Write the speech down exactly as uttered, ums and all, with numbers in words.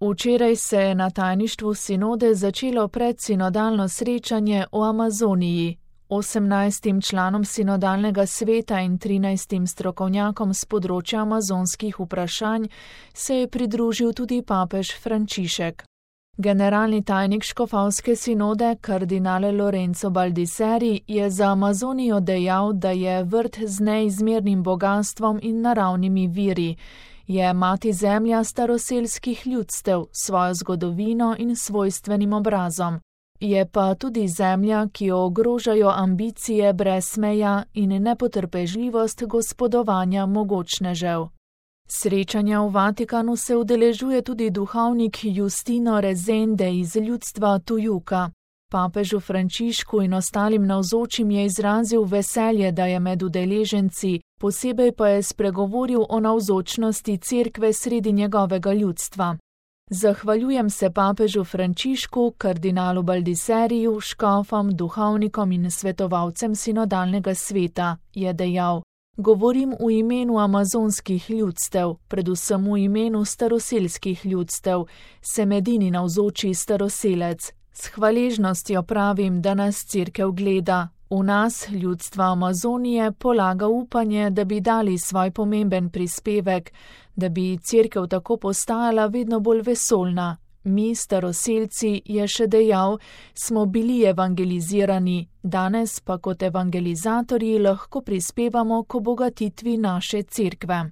Včeraj se je na tajništvu sinode začelo predsinodalno srečanje o Amazoniji. osemnajstim članom sinodalnega sveta in trinajstim strokovnjakom z področja amazonskih vprašanj se je pridružil tudi papež Frančišek. Generalni tajnik škofovske sinode, kardinal Lorenzo Baldisseri, je za Amazonijo dejal, da je vrt z neizmernim bogastvom in naravnimi viri, je mati zemlja staroselskih ljudstev, svojo zgodovino in svojstvenim obrazom. Je pa tudi zemlja, ki jo ogrožajo ambicije brez meja in nepotrpežljivost gospodovanja mogočnežev. Srečanja v Vatikanu se udeležuje tudi duhovnik Justino Rezende iz ljudstva Tujuka. Papežu Frančišku in ostalim navzočim je izrazil veselje, da je med udeleženci, posebej pa je spregovoril o navzočnosti cerkve sredi njegovega ljudstva. Zahvaljujem se papežu Frančišku, kardinalu Baldisseriju, škofom, duhovnikom in svetovalcem sinodalnega sveta, je dejal. Govorim v imenu amazonskih ljudstev, predvsem v imenu staroselskih ljudstev, sem edini navzoči staroselec. S hvaležnostjo pravim, da nas cerkev gleda. V nas, ljudstva Amazonije, polaga upanje, da bi dali svoj pomemben prispevek, da bi cerkev tako postajala vedno bolj vesoljna. Mi, staroselci, je še dejal, smo bili evangelizirani, danes pa kot evangelizatorji lahko prispevamo k obogatitvi naše cerkve.